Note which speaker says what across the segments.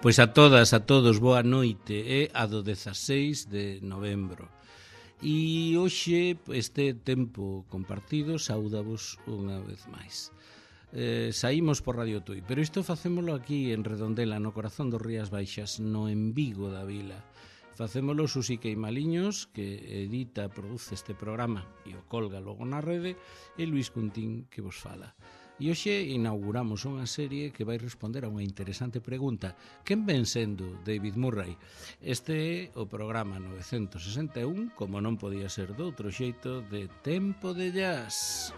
Speaker 1: Pois a todas, a todos, boa noite. É a do 16 de novembro. E hoxe, este tempo compartido, saúdavos unha vez máis. Saímos por Radio Tui, pero isto facémolo aquí en Redondela, no corazón dos Rías Baixas, no en Vigo da Vila. Facémolo Susi Queimaliños, que edita, produce este programa e o colga logo na rede, e Luís Cuntín, que vos fala. E hoxe inauguramos unha serie que vai responder a unha interesante pregunta. Quen ven sendo David Murray? Este é o programa 961, como non podía ser doutro xeito, de Tempo de Jazz.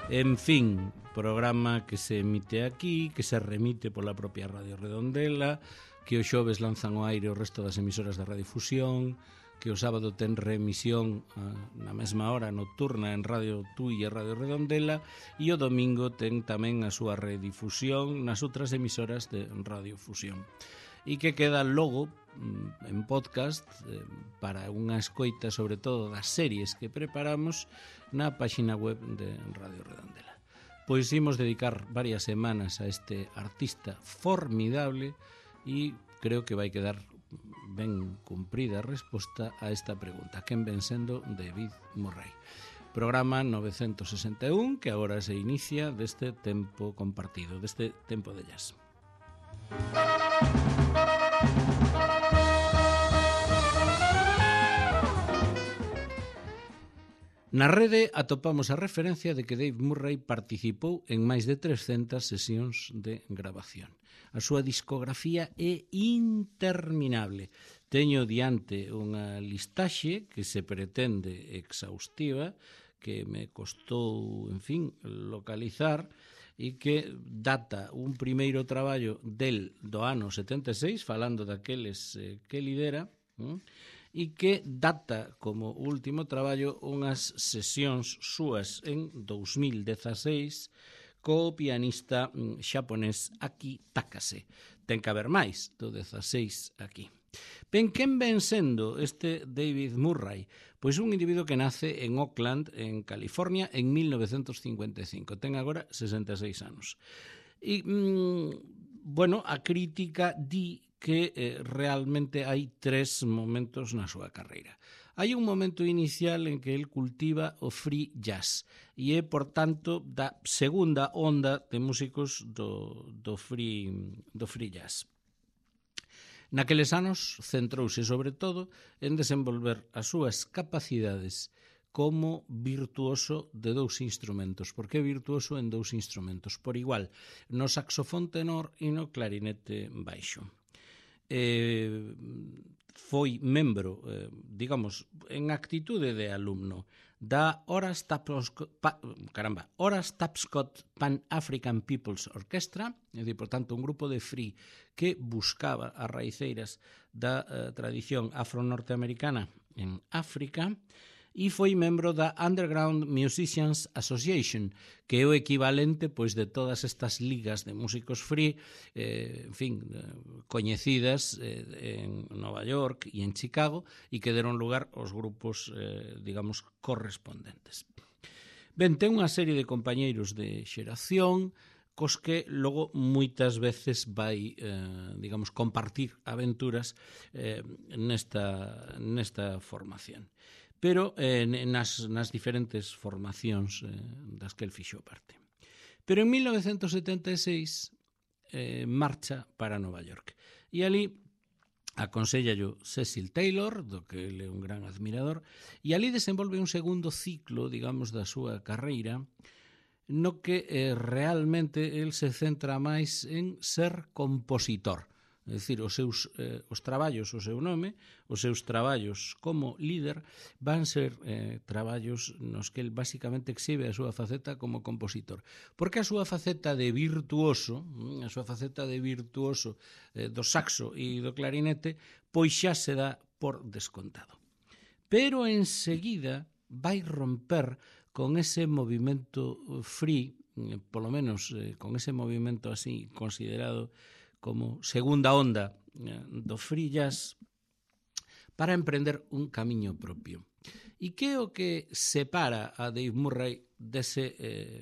Speaker 1: En fin, programa que se emite aquí, que se remite pola propia Radio Redondela, que o xoves lanzan ao aire o resto das emisoras da Radiofusión, que o sábado ten reemisión na mesma hora nocturna en Radio Tui e Radio Redondela, e o domingo ten tamén a súa redifusión nas outras emisoras de Radiofusión. E que queda logo en podcast para unha escoita sobre todo das series que preparamos na páxina web de Radio Redondela. Pois imos dedicar varias semanas a este artista formidable e creo que vai quedar ben cumprida a resposta a esta pregunta. Quen ven sendo David Murray? Programa 961 que agora se inicia deste tempo compartido, deste tempo de jazz. Na rede atopamos a referencia de que Dave Murray participou en máis de 300 sesións de grabación. A súa discografía é interminable. Teño diante unha listaxe que se pretende exhaustiva, que me costou, en fin, localizar, e que data un primeiro traballo del do ano 76, falando daqueles que lidera, e que data como último traballo unhas sesións súas en 2016 co pianista xaponés Aki Takase. Ten que haber máis do 16 aquí. Ben, quen ven sendo este David Murray? Pois un individuo que nace en Oakland, en California, en 1955. Ten agora 66 anos. E, bueno, a crítica di que realmente hai tres momentos na súa carreira. Hai un momento inicial en que el cultiva o free jazz e é, por tanto, da segunda onda de músicos do free jazz. Naqueles anos centrouse sobre todo en desenvolver as súas capacidades como virtuoso de dous instrumentos. Por que virtuoso en dous instrumentos? Por igual, no saxofón tenor e no clarinete baixo. Foi membro, digamos, en actitude de alumno da Horace Tapscott Pan-African People's Orchestra, é dicir, por tanto, un grupo de free que buscaba as raiceiras da tradición afro-norteamericana en África, e foi membro da Underground Musicians Association, que é o equivalente pois de todas estas ligas de músicos free, en fin, coñecidas en Nova York e en Chicago, e que deron lugar aos grupos, digamos, correspondentes. Ben, ten unha serie de compañeiros de xeración cos que logo moitas veces vai, digamos, compartir aventuras nesta formación. Pero nas diferentes formacións das que el fixo parte. Pero en 1976 marcha para Nova York. E ali aconsellallo Cecil Taylor, do que ele é un gran admirador, e ali desenvolve un segundo ciclo, digamos, da súa carreira, no que realmente el se centra máis en ser compositor. É dicir, os traballos, o seu nome, os seus traballos como líder van ser traballos nos que el basicamente exhibe a súa faceta como compositor. Porque a súa faceta de virtuoso, do saxo e do clarinete, pois xa se dá por descontado. Pero enseguida vai romper con ese movimento free, polo menos con ese movimento así considerado como segunda onda do free jazz, para emprender un camiño propio. E que é o que separa a Dave Murray dese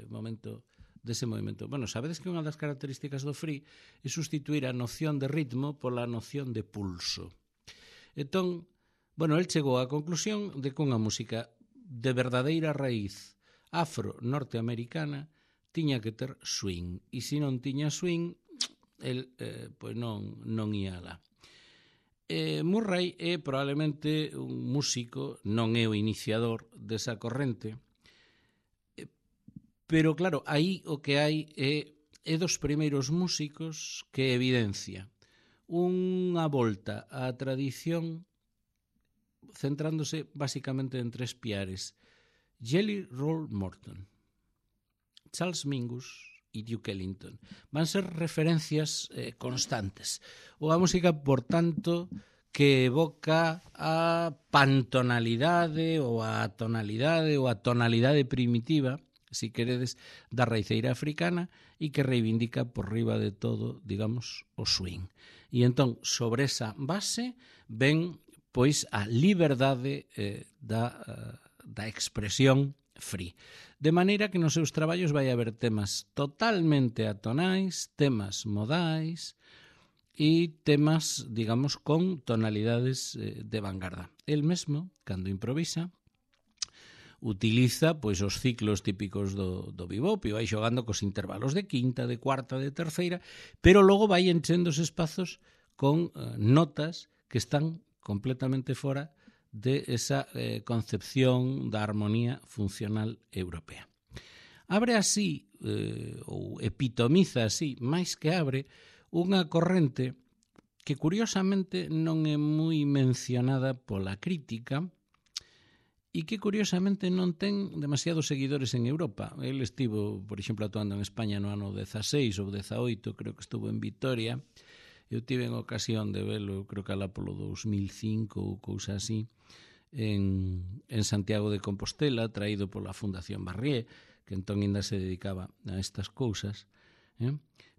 Speaker 1: movimento? Bueno, sabedes que unha das características do free é sustituir a noción de ritmo pola noción de pulso. Entón, bueno, el chegou á conclusión de que unha música de verdadeira raíz afro-norteamericana tiña que ter swing, e se non tiña swing, el pois non ia alá. Murray é probablemente un músico, non é o iniciador desa corrente, pero claro, aí o que hai é dos primeiros músicos que evidencia unha volta á tradición centrándose basicamente en tres piares: Jelly Roll Morton, Charles Mingus e Duke Ellington. Van ser referencias constantes. Unha música, por tanto, que evoca a pantonalidade ou a tonalidade ou a tonalidade primitiva, si queredes, da raiceira africana e que reivindica por riba de todo, digamos, o swing. E entón, sobre esa base, ven pois a liberdade da expresión free. De maneira que nos seus traballos vai haber temas totalmente atonais, temas modais e temas, digamos, con tonalidades de vanguarda. El mesmo, cando improvisa, utiliza pois os ciclos típicos do bebop e vai xogando cos intervalos de quinta, de cuarta, de terceira, pero logo vai enchendo os espazos con notas que están completamente fora de esa concepción da armonía funcional europea. Abre así, ou epitomiza así, máis que abre, unha corrente que curiosamente non é moi mencionada pola crítica e que curiosamente non ten demasiados seguidores en Europa. El estivo, por exemplo, actuando en España no ano 16 ou 18, creo que estuvo en Vitoria. Eu tive en ocasión de velo, creo que alá polo 2005 ou cousa así, en Santiago de Compostela, traído pola Fundación Barrié, que entón ainda se dedicaba a estas cousas.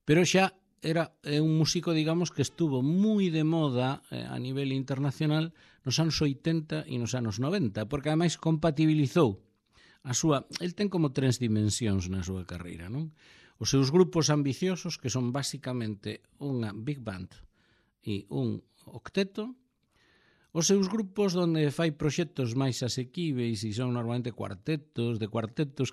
Speaker 1: Pero xa era un músico, digamos, que estuvo moi de moda a nivel internacional nos anos 80 e nos anos 90, porque ademais compatibilizou a súa... El ten como tres dimensións na súa carreira, non? Os seus grupos ambiciosos, que son basicamente unha big band e un octeto, os seus grupos onde fai proxectos máis asequíveis e son normalmente cuartetos,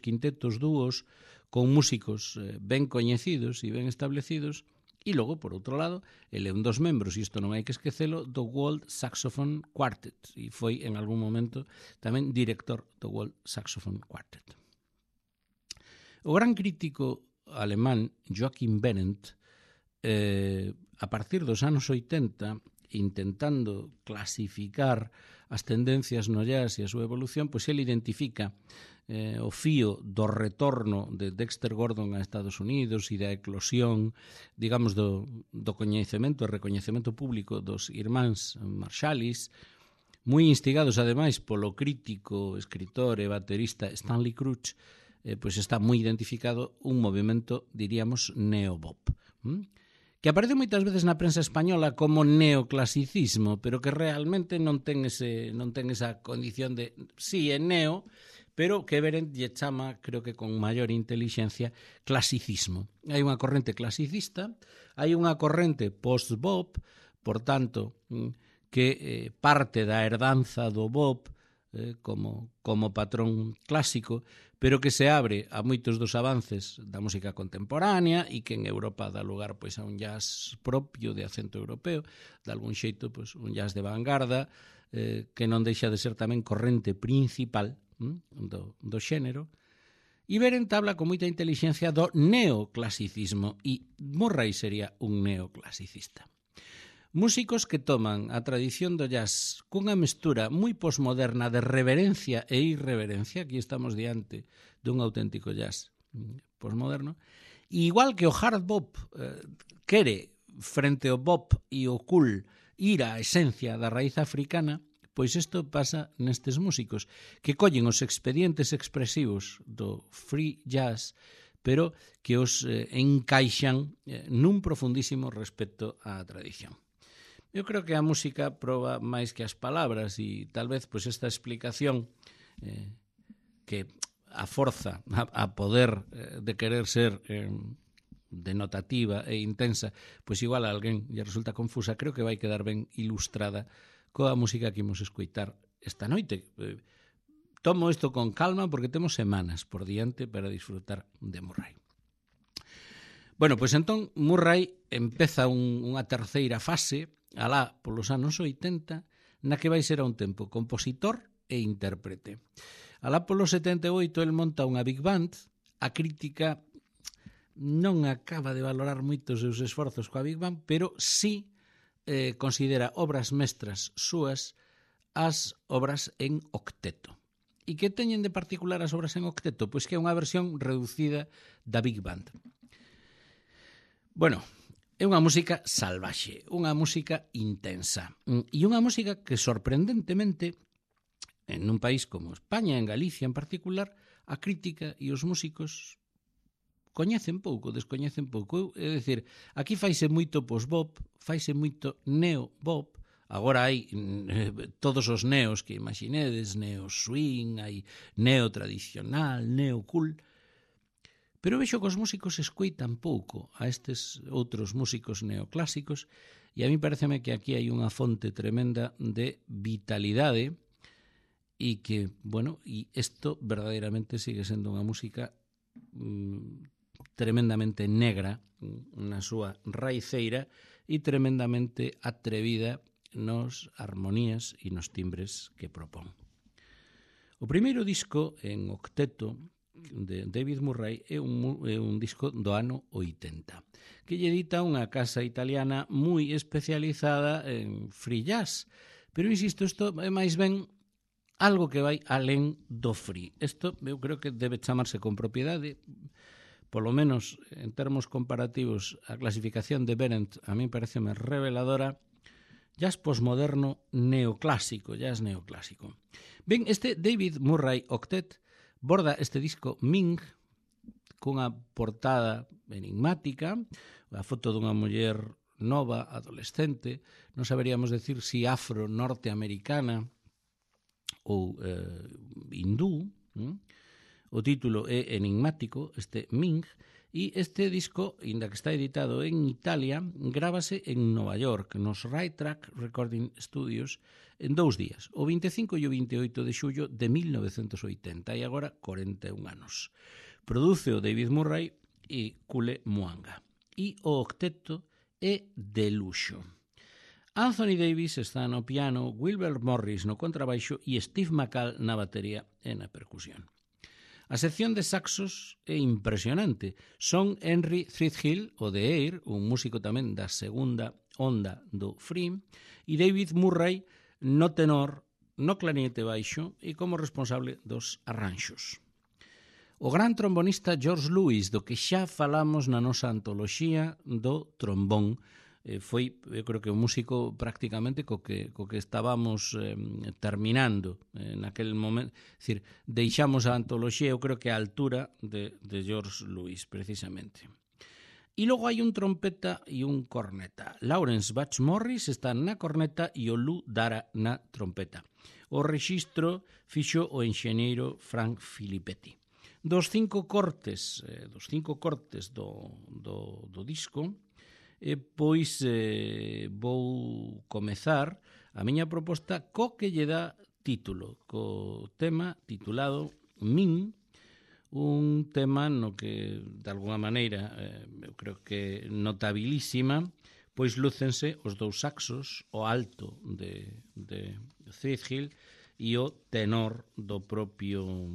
Speaker 1: quintetos, dúos, con músicos ben coñecidos e ben establecidos, e logo, por outro lado, ele é un dos membros, e isto non hai que esquecelo, do World Saxophone Quartet, e foi en algún momento tamén director do World Saxophone Quartet. O gran crítico alemán Joachim Behrendt, a partir dos anos 80, intentando clasificar as tendencias no jazz e a súa evolución, pois ele identifica o fío do retorno de Dexter Gordon a Estados Unidos e da eclosión, digamos, do coñecemento e recoñecemento público dos irmáns Marshallis, moi instigados ademais polo crítico, escritor e baterista Stanley Crouch, pois está moi identificado un movimento, diríamos, neobop, que aparece moitas veces na prensa española como neoclasicismo, pero que realmente non ten esa condición de, sí, é neo, pero que Behrendt lle chama, creo que con maior inteligencia, clasicismo. Hai unha corrente clasicista, hai unha corrente post-bop, por tanto, que parte da herdanza do bop como patrón clásico, pero que se abre a moitos dos avances da música contemporánea e que en Europa dá lugar pois a un jazz propio de acento europeo, de algún xeito pois un jazz de vanguarda, que non deixa de ser tamén corrente principal do xénero. E Behrendt habla con moita inteligencia do neoclasicismo e Murray sería un neoclasicista. Músicos que toman a tradición do jazz cunha mestura moi posmoderna de reverencia e irreverencia, aquí estamos diante dun auténtico jazz posmoderno, e igual que o hard bop quere, frente ao bop e o cool, ir á esencia da raíz africana, pois isto pasa nestes músicos, que collen os expedientes expresivos do free jazz, pero que os encaixan nun profundísimo respecto á tradición. Eu creo que a música proba máis que as palabras e tal vez pois esta explicación que a forza, a poder de querer ser denotativa e intensa, pois igual a alguén lle resulta confusa, creo que vai quedar ben ilustrada coa música que imos escoitar esta noite. Tomo isto con calma porque temos semanas por diante para disfrutar de Murray. Bueno, pois entón Murray empeza unha terceira fase alá polos anos 80 na que vai ser a un tempo compositor e intérprete. Alá polos 78 el monta unha big band. A crítica non acaba de valorar moito os seus esforzos coa big band, pero sí considera obras mestras súas as obras en octeto. E que teñen de particular as obras en octeto? Pois que é unha versión reducida da big band. Bueno, é unha música salvaxe, unha música intensa e unha música que sorprendentemente en un país como España, en Galicia en particular, a crítica e os músicos coñecen pouco, descoñecen pouco. É dicir, aquí faise moito post-bop, faise moito neo-bop, agora hai todos os neos que imaginedes, neo-swing, hai neo-tradicional, neo-cool, pero vexo que os músicos escoitan pouco a estes outros músicos neoclásicos e a mí pareceme que aquí hai unha fonte tremenda de vitalidade e que, bueno, e isto verdadeiramente sigue sendo unha música tremendamente negra na súa raiceira e tremendamente atrevida nos armonías e nos timbres que propón. O primeiro disco en octeto de David Murray é un disco do ano 80 que lle edita unha casa italiana moi especializada en free jazz, pero insisto, isto é máis ben algo que vai alén do free. Isto eu creo que debe chamarse con propiedade. Polo menos en termos comparativos, a clasificación de Berendt a mí pareceme reveladora. Jazz posmoderno neoclásico, jazz neoclásico. Ben, este David Murray Octet borda este disco Ming cunha portada enigmática, a foto dunha muller nova, adolescente, non saberíamos decir si afro-norteamericana ou hindú. O título é enigmático, este Ming, e este disco, inda que está editado en Italia, grábase en Nova York, nos Right Track Recording Studios, en 2 días, o 25 e o 28 de xullo de 1980, e agora 41 anos. Produce o David Murray e Kule Mwanga. E o octeto é de luxo. Anthony Davis está no piano, Wilbur Morris no contrabaixo e Steve McCall na batería e na percusión. A sección de saxos é impresionante. Son Henry Threadhill, o de Air, un músico tamén da segunda onda do free, e David Murray no tenor, no clarinete baixo e como responsable dos arranxos. O gran trombonista George Lewis, do que xa falamos na nosa antoloxía do trombón, foi, eu creo que o músico prácticamente co que estábamos terminando naquel momento, é dicir, deixamos a antoloxía, eu creo que a altura de George Lewis, precisamente. E logo hai un trompeta e un corneta. Lawrence Batch Morris está na corneta e o Lou Dara na trompeta. O rexistro fixo o enxeñeiro Frank Filippetti. Dos cinco cortes do disco, pois vou comezar a miña proposta co que lle dá título, co tema titulado Min, un tema no que, de alguna maneira, eu creo que notabilísima, pois lúcense os dous saxos, o alto de Threadhill e o tenor do propio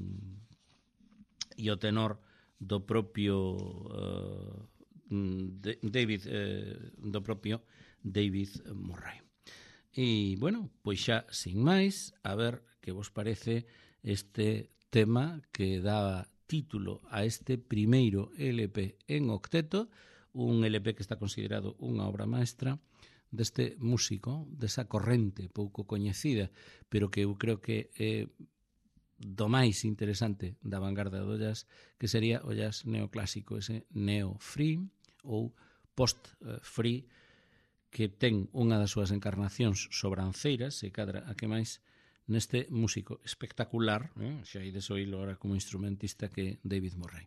Speaker 1: David Murray. E, bueno, pois xa, sin máis, a ver que vos parece este tema que dá título a este primeiro LP en octeto, un LP que está considerado unha obra maestra deste músico, desa corrente pouco coñecida, pero que eu creo que é do máis interesante da vanguarda do jazz, que sería o jazz neoclásico, ese neo-free ou post-free, que ten unha das súas encarnacións sobranceiras, e cadra a que máis neste músico espectacular, xa ides oílo agora como instrumentista, que é David Murray.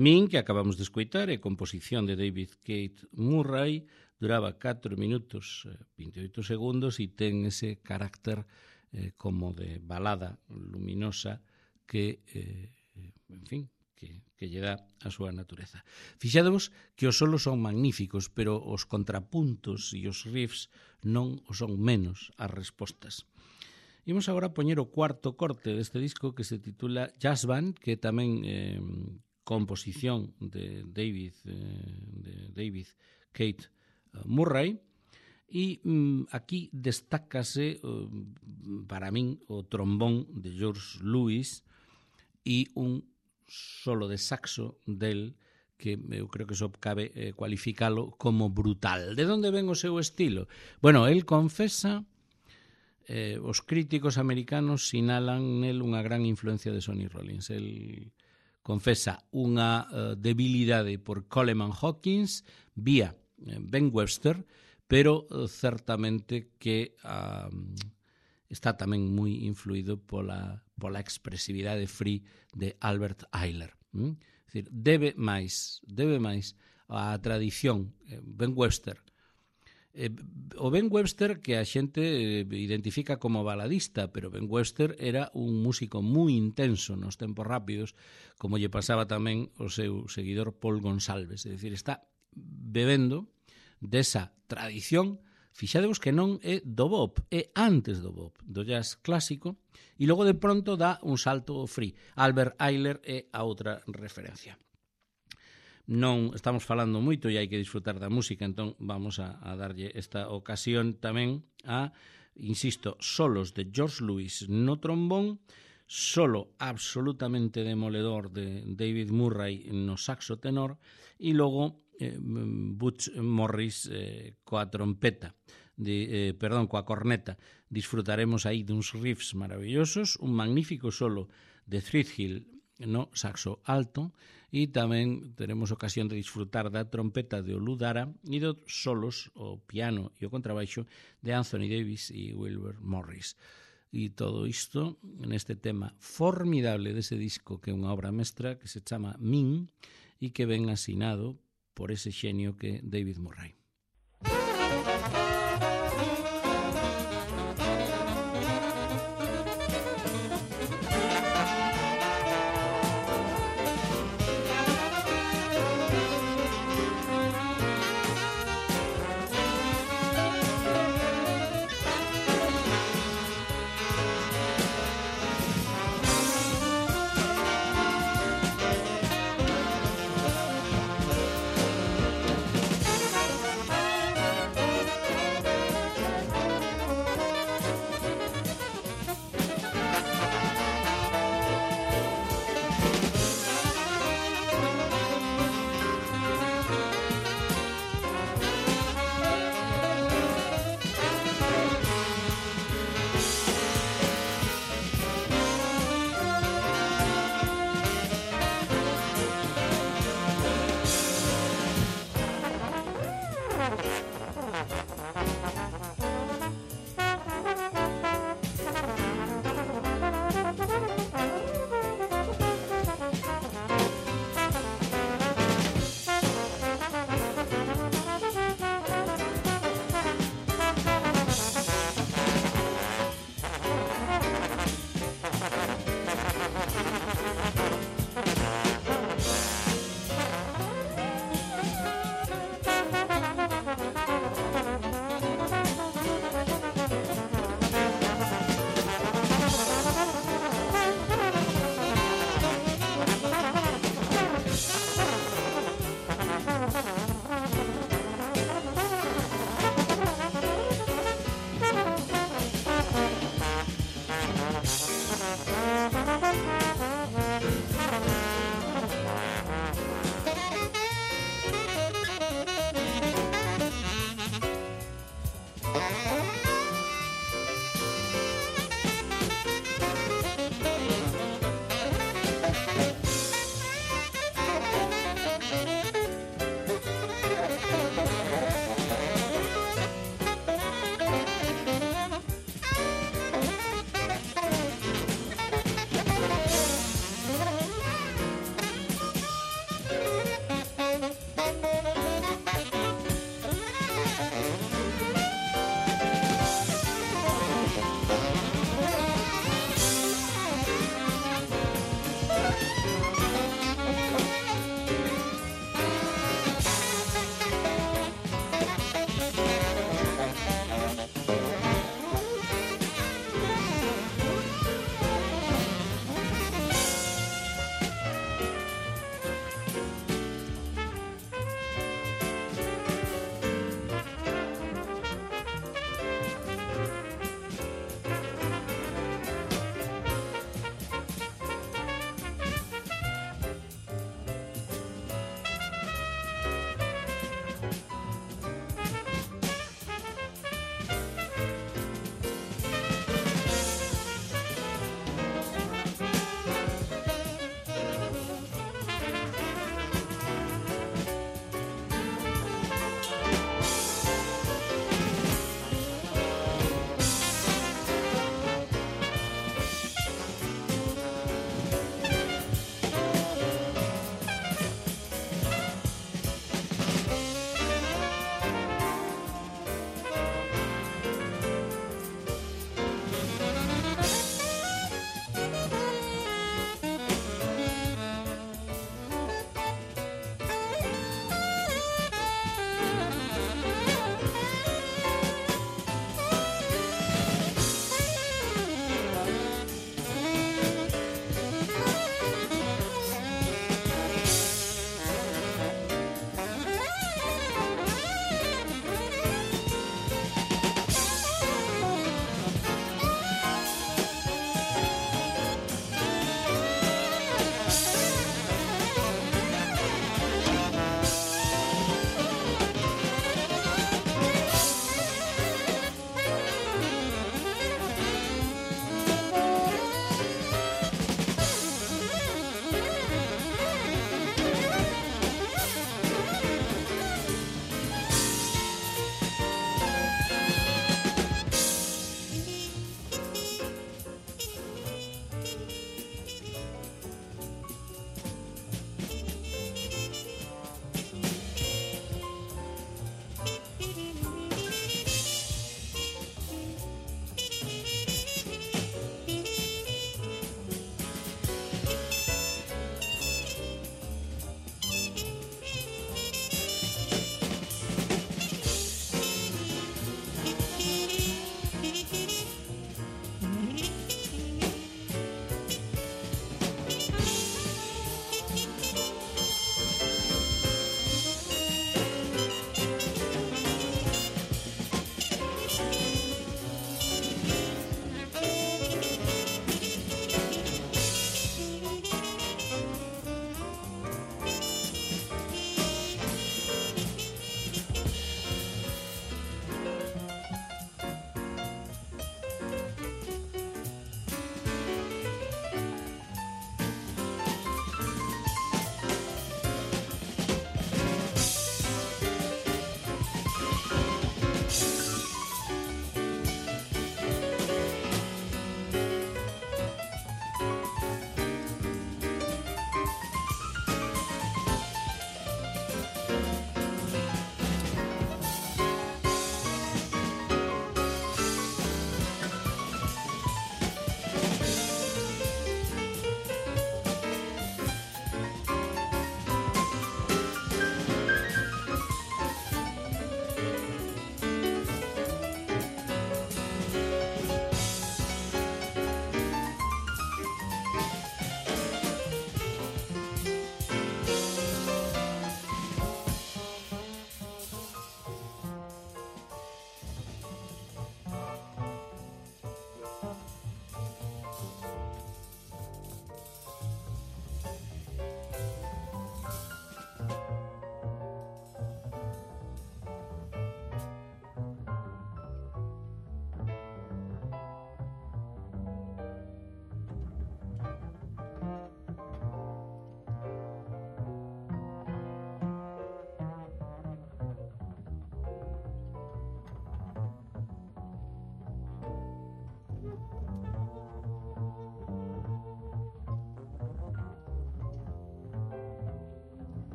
Speaker 1: Min, que acabamos de escoitar, é composición de David Keith Murray, duraba 4 minutos 28 segundos e ten ese carácter como de balada luminosa que, en fin, que lle dá a súa natureza. Fixadevos que os solos son magníficos, pero os contrapuntos e os riffs non o son menos as respostas. Imos agora a poñer o cuarto corte deste disco que se titula Jazz Band, que tamén composición de David Keith Murray, e aquí destácase para min o trombón de George Lewis e un solo de saxo del que eu creo que só cabe cualificalo como brutal. De onde ven o seu estilo? Bueno, el confesa, os críticos americanos sinalan nel unha gran influencia de Sonny Rollins. El confesa unha debilidade por Coleman Hawkins vía Ben Webster, pero certamente que está tamén moi influído pola expresividade free de Albert Ayler. É dicir, debe máis a tradición Ben Webster. O Ben Webster que a xente identifica como baladista, pero Ben Webster era un músico moi intenso nos tempos rápidos, como lle pasaba tamén o seu seguidor Paul Gonsalves. É dicir, está bebendo desa tradición, fixadevos que non é do bop, é antes do bop, do jazz clásico, e logo de pronto dá un salto ao free. Albert Ayler é a outra referencia. Non estamos falando moito e hai que disfrutar da música, entón vamos a darlle esta ocasión tamén a, insisto, solos de George Lewis no trombón, solo absolutamente demoledor de David Murray no saxo tenor e logo Butch Morris coa trompeta, coa corneta. Disfrutaremos aí duns riffs maravillosos, un magnífico solo de Threadgill no saxo alto e tamén teremos ocasión de disfrutar da trompeta de Olu Dara e dos solos, o piano e o contrabaixo de Anthony Davis e Wilbur Morris. E todo isto neste tema formidable dese disco que é unha obra mestra que se chama Min e que ven asinado por ese xenio que David Murray.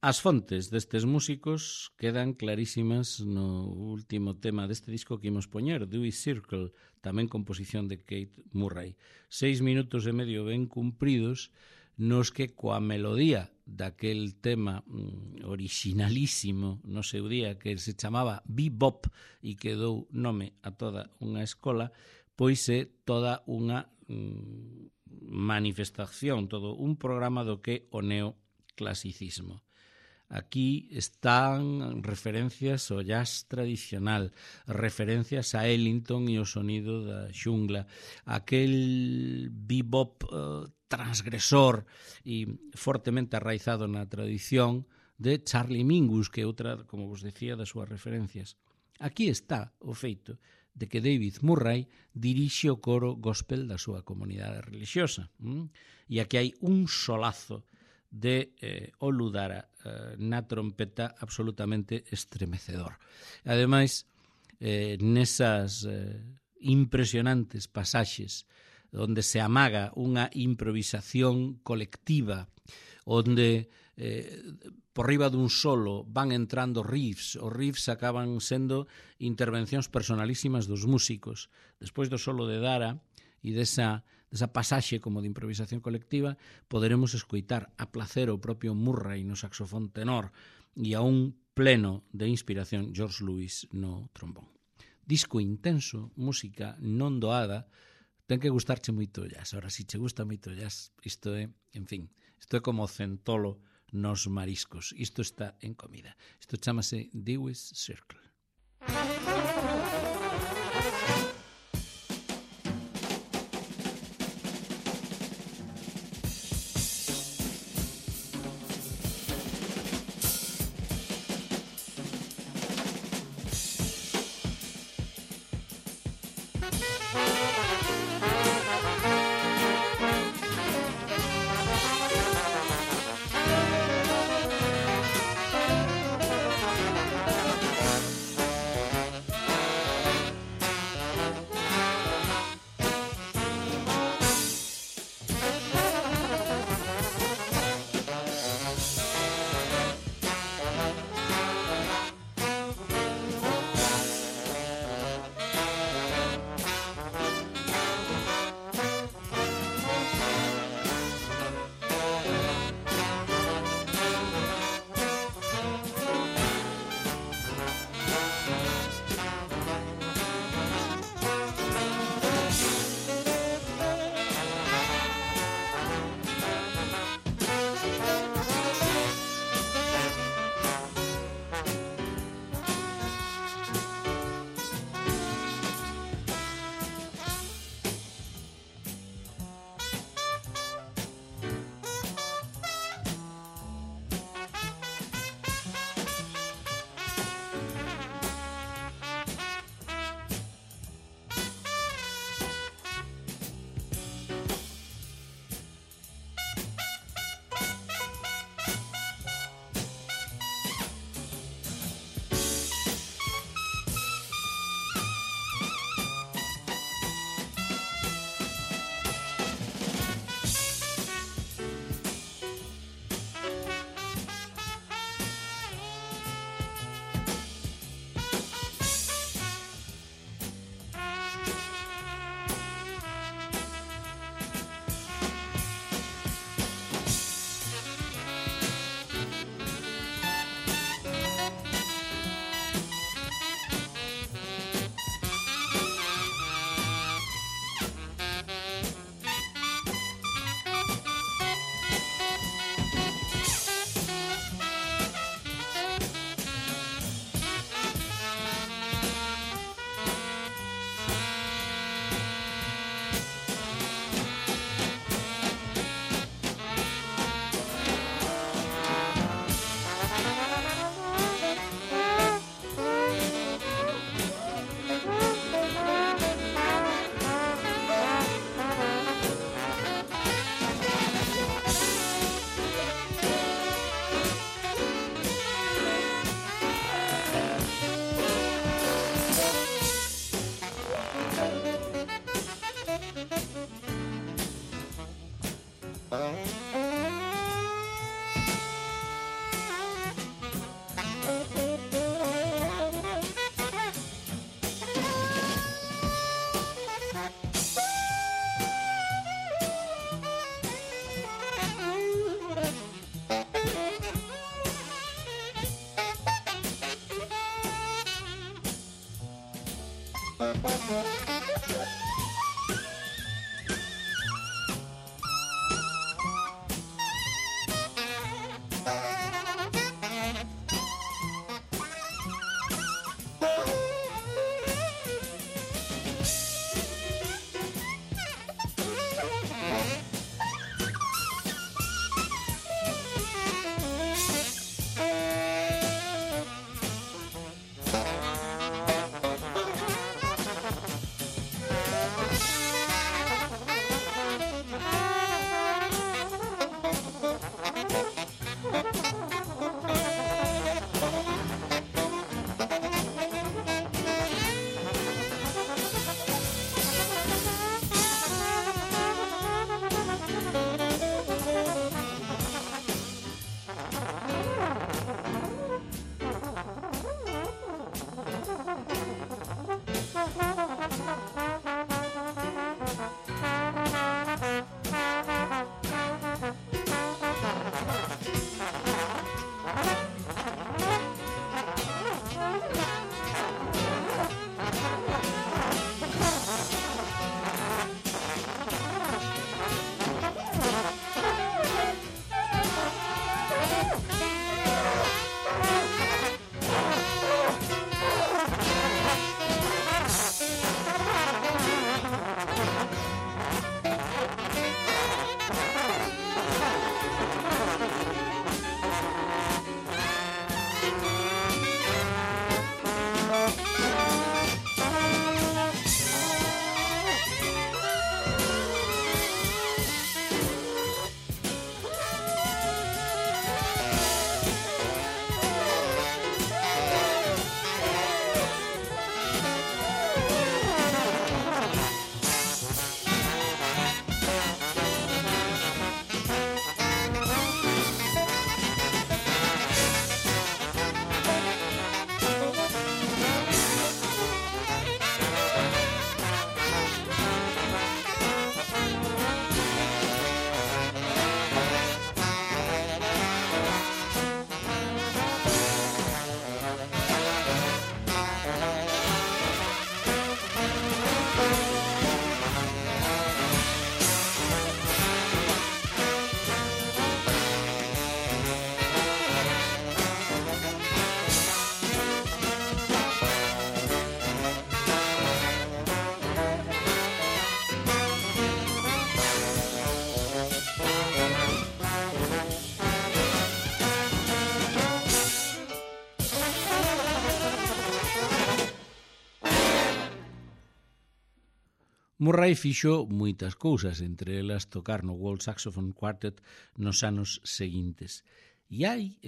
Speaker 1: As fontes destes músicos quedan clarísimas no último tema deste disco que imos poñer, Dewey Circle, tamén composición de Kate Murray. 6 minutos e medio ben cumpridos, nos que coa melodía daquel tema originalísimo no seu día que se chamaba Bebop e que dou nome a toda unha escola, pois é toda unha manifestación, todo un programa do que o neoclasicismo. Aquí están referencias ao jazz tradicional, referencias a Ellington e o sonido da xungla, aquel bebop transgresor e fortemente arraizado na tradición de Charlie Mingus, que é outra, como vos decía, das súas referencias. Aquí está o feito de que David Murray dirixe o coro gospel da súa comunidade religiosa. E aquí hai un solazo de Oludara na trompeta absolutamente estremecedor. Ademais, nesas impresionantes pasaxes onde se amaga unha improvisación colectiva, onde por riba dun solo van entrando riffs, os riffs acaban sendo intervencións personalísimas dos músicos. Despois do solo de Dara e desa pasaxe como de improvisación colectiva, poderemos escoitar a placer o propio Murray no saxofón tenor e a un pleno de inspiración George Lewis no trombón. Disco intenso, música non doada, ten que gustarche moito o jazz. Ahora, se che gusta moito o jazz, isto é, en fin, isto é como centolo nos mariscos. Isto está en comida. Isto chamase Dewey's Circle. Murray fixo moitas cousas, entre elas tocar no World Saxophone Quartet nos anos seguintes. E hai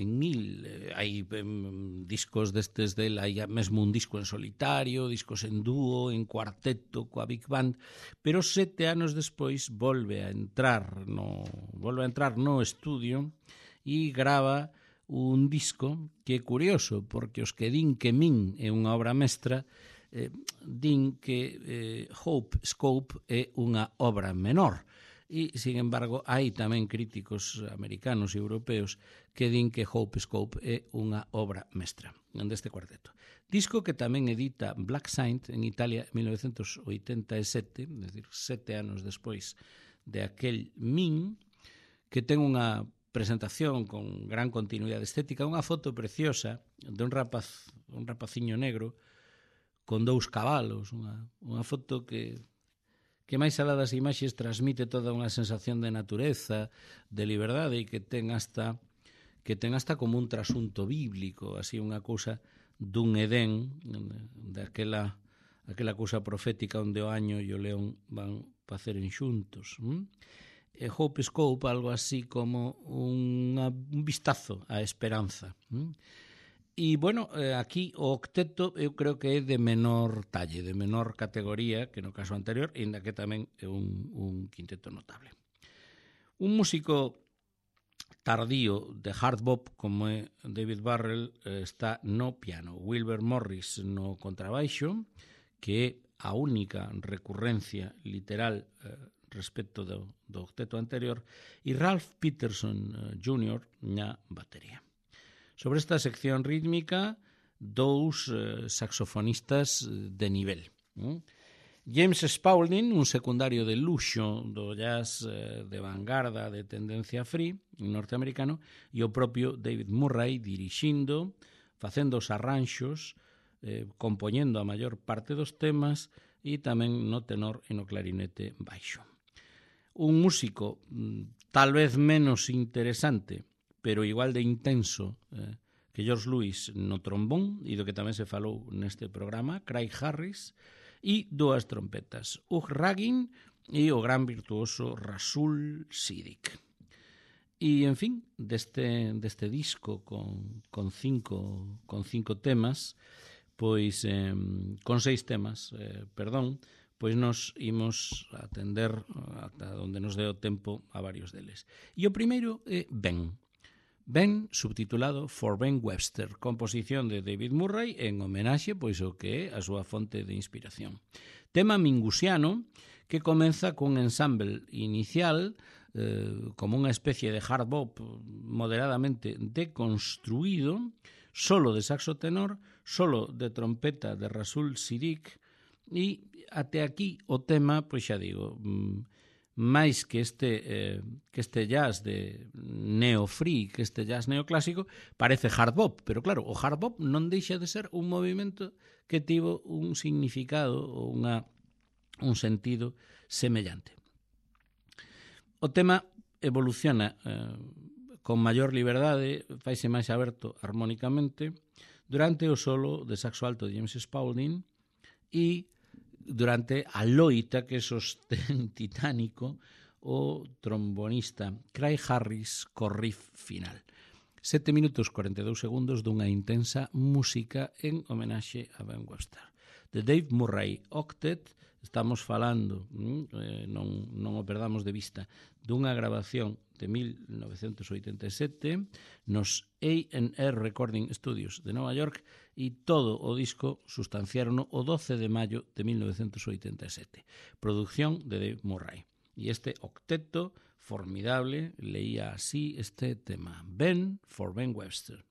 Speaker 1: discos destes del, hai mesmo un disco en solitario, discos en dúo, en cuarteto, coa Big Band, pero 7 anos despois volve a entrar no estudio e grava un disco que é curioso, porque os que din que Min é unha obra mestra, din que Hope Scope é unha obra menor. E, sin embargo, hai tamén críticos americanos e europeos que din que Hope Scope é unha obra mestra deste cuarteto. Disco que tamén edita Black Saint en Italia en 1987, é dicir, 7 anos despois de aquel Min, que ten unha presentación con gran continuidade estética, unha foto preciosa de un rapaciño negro con 2 cabalos, unha foto que máis alá das imaxes transmite toda unha sensación de natureza, de liberdade, e que ten hasta como un trasunto bíblico, así unha cousa dun Edén, daquela cousa profética onde o año e o león van faceren xuntos. Hope Scope, algo así como un vistazo á esperanza. E, bueno, aquí o octeto eu creo que é de menor talle, de menor categoría que no caso anterior, ainda que tamén é un quinteto notable. Un músico tardío de hard bop como é David Burrell está no piano, Wilbur Morris no contrabaixo, que é a única recurrencia literal respecto do octeto anterior, e Ralph Peterson Jr. na batería. Sobre esta sección rítmica, 2 saxofonistas de nivel. James Spaulding, un secundario de luxo do jazz de vanguarda de tendencia free norteamericano, e o propio David Murray dirixindo, facendo os arranxos, compoñendo a maior parte dos temas e tamén no tenor e no clarinete baixo. Un músico tal vez menos interesante, pero igual de intenso que George Lewis no trombón, e do que tamén se falou neste programa, Craig Harris, e dúas trompetas, Hugh Raggin e o gran virtuoso Rasul Siddiq. E, en fin, deste disco con cinco temas, pois con 6 temas, pois nos imos atender ata onde nos dé o tempo a varios deles. E o primeiro é Ben, subtitulado For Ben Webster, composición de David Murray en homenaxe pois o que é a súa fonte de inspiración. Tema mingusiano que comeza cun ensemble inicial como unha especie de hard bop moderadamente deconstruído, solo de saxo tenor, solo de trompeta de Rasul Siddiq, e até aquí o tema, pois xa digo, máis que este jazz de neo-free, que este jazz neoclásico, parece hard bop, pero claro, o hard bop non deixa de ser un movimento que tivo un significado ou un sentido semellante. O tema evoluciona con maior liberdade, faise máis aberto armónicamente durante o solo de saxo alto de James Spaulding e durante a loita que sostén titánico o trombonista Craig Harris co riff final. 7 minutos 42 segundos dunha intensa música en homenaxe a Ben Webster. De Dave Murray Octet, estamos falando, non o perdamos de vista, dunha grabación de 1987 nos A&R Recording Studios de Nova York, e todo o disco sustanciaron o 12 de maio de 1987. Producción de Dave Murray. E este octeto formidable leía así este tema. Ben for Ben Webster.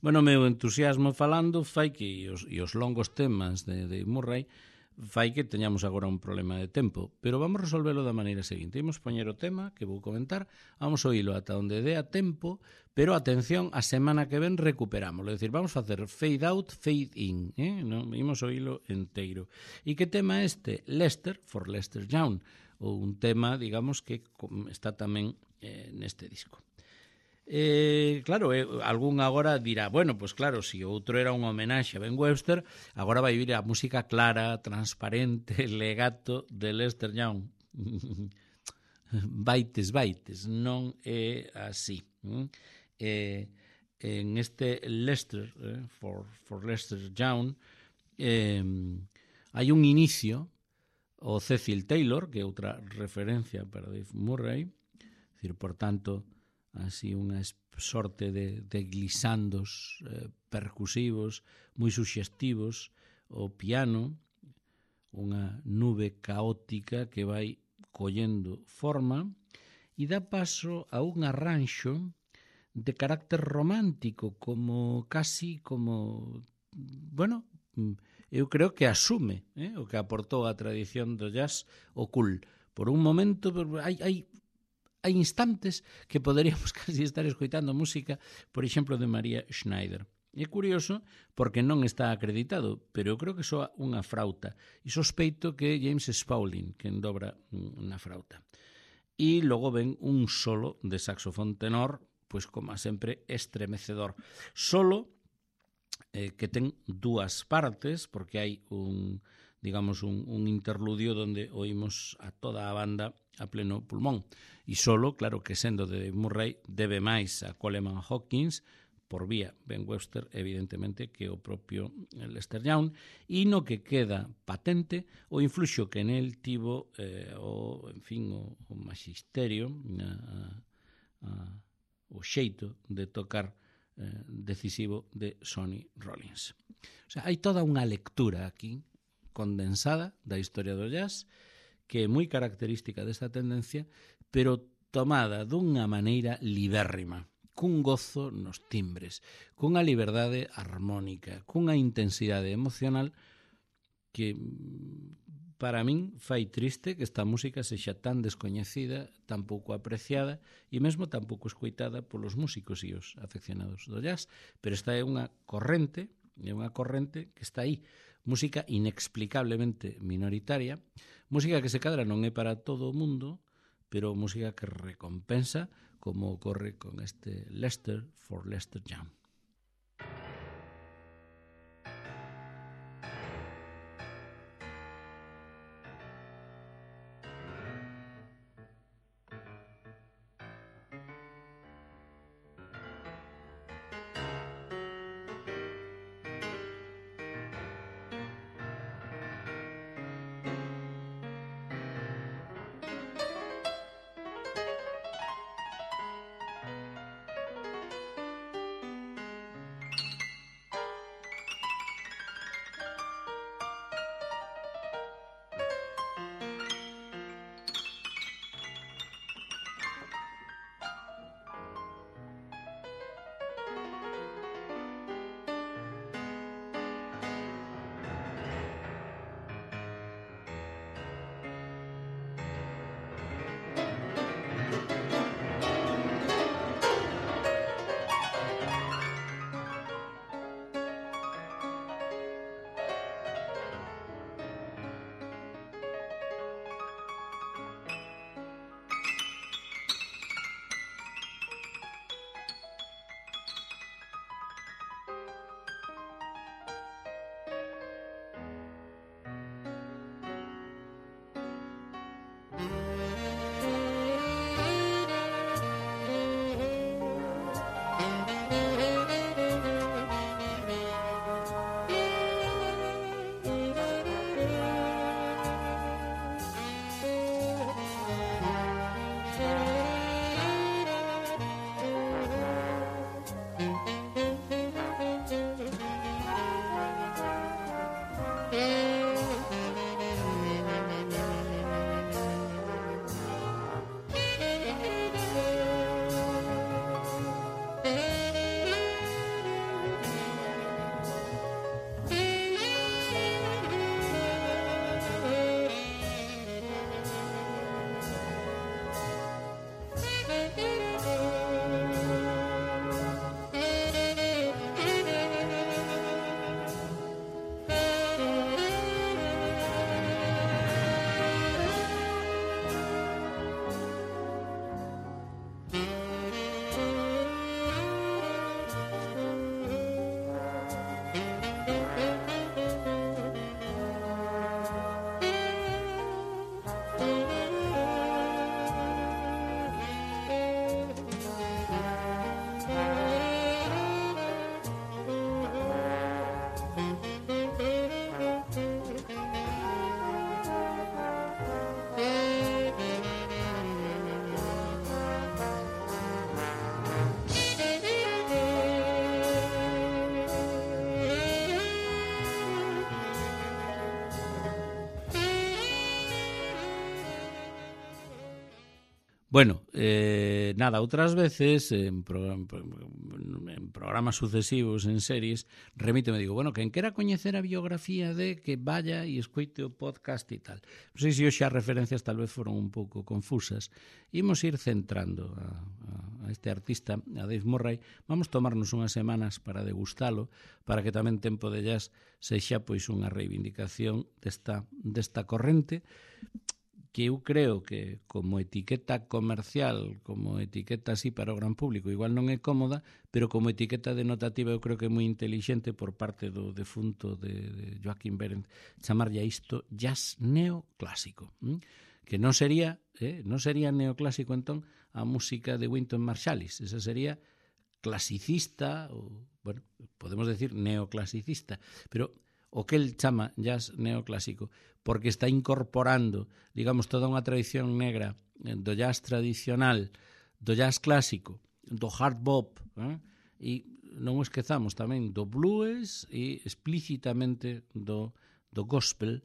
Speaker 1: Bueno, o meu entusiasmo falando fai que os longos temas de Murray fai que teñamos agora un problema de tempo, pero vamos resolvelo da maneira seguinte. Imos poñer o tema que vou comentar, vamos oílo ata onde dé a tempo, pero atención, a semana que ven recuperámoslo, é dicir, vamos facer fade out, fade in, non imos oílo enteiro. E que tema é este? Lester, for Lester Young, ou un tema, digamos, que está tamén neste disco. Claro, algún agora dirá, bueno, pues claro, si outro era un homenaxe a Ben Webster, agora vai vir a música clara, transparente, legato de Lester Young. Baites, non é así. En este Lester, for Lester Young, hai un inicio, o Cecil Taylor, que é outra referencia para Dave Murray, decir, por tanto, así unha sorte de glisandos percusivos moi suxestivos, o piano, unha nube caótica que vai collendo forma e dá paso a un arranxo de carácter romántico, como casi como, bueno, eu creo que asume o que aportou a tradición do jazz o cool. Por un momento hai instantes que poderíamos casi estar escoitando música, por exemplo, de María Schneider. É curioso porque non está acreditado, pero eu creo que soa unha frauta. E sospeito que é James Spaulding quen dobra na frauta. E logo ven un solo de saxofón tenor, pois como sempre estremecedor. Solo que ten dúas partes, porque hai un interludio onde oímos a toda a banda a pleno pulmón. E solo, claro que sendo de Dave Murray, debe máis a Coleman Hawkins, por vía Ben Webster, evidentemente, que o propio Lester Young, e no que queda patente o influxo que nel tivo o magisterio, o xeito de tocar decisivo de Sonny Rollins. O sea, hai toda unha lectura aquí condensada da historia do jazz que é moi característica desta tendencia, pero tomada dunha maneira libérrima, cun gozo nos timbres, cunha liberdade armónica, cunha intensidade emocional que para min fai triste que esta música sexa tan descoñecida, tan pouco apreciada e mesmo tan pouco escoitada polos músicos e os afeccionados do jazz, pero esta é unha corrente que está aí, música inexplicablemente minoritaria, música que se cadra non é para todo o mundo, pero música que recompensa, como ocorre con este Lester for Lester Young. Bueno, nada, outras veces en programas sucesivos, en series, remíteme, digo, bueno, quen quera coñecer a biografía de que vaya e escoite o podcast e tal. Non sei se hoxe as referencias tal vez foron un pouco confusas. Imos ir centrando a este artista, a Dave Murray. Vamos tomarnos unhas semanas para degustalo, para que tamén Tempo de Jazz sexa pois unha reivindicación desta corrente, que eu creo que como etiqueta comercial, como etiqueta así para o gran público, igual non é cómoda, pero como etiqueta denotativa eu creo que é moi intelixente por parte do defunto de Joaquín Berendt chamarlle a isto jazz neoclásico, que non sería neoclásico entón a música de Wynton Marsalis, esa sería clasicista, ou, bueno, podemos decir neoclasicista, pero o que el chama jazz neoclásico, porque está incorporando, digamos, toda unha tradición negra do jazz tradicional, do jazz clásico, do hard bop, e non o esquezamos tamén do blues e explícitamente do gospel,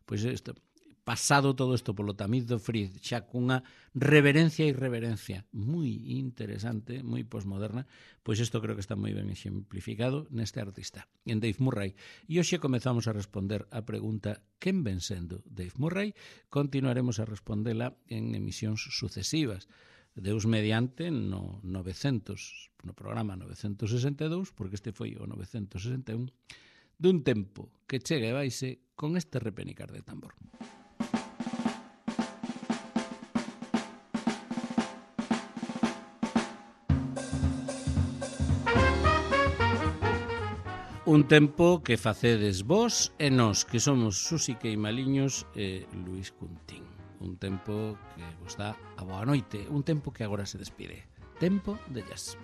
Speaker 1: pois isto, pasado todo isto polo tamiz do Friz, xa cunha reverencia e irreverencia moi interesante, moi posmoderna, pois isto creo que está moi ben exemplificado neste artista, en Dave Murray. E hoxe comezamos a responder a pregunta quen ven sendo Dave Murray. Continuaremos a respondela en emisións sucesivas. Deus mediante no programa 962, porque este foi o 961, dun tempo que chega e vaise con este repenicar de tambor. Un tempo que facedes vos e nós, que somos Susi Queimaliños e Luís Cuntín. Un tempo que vos dá a boa noite, un tempo que agora se despide. Tempo de Jazz.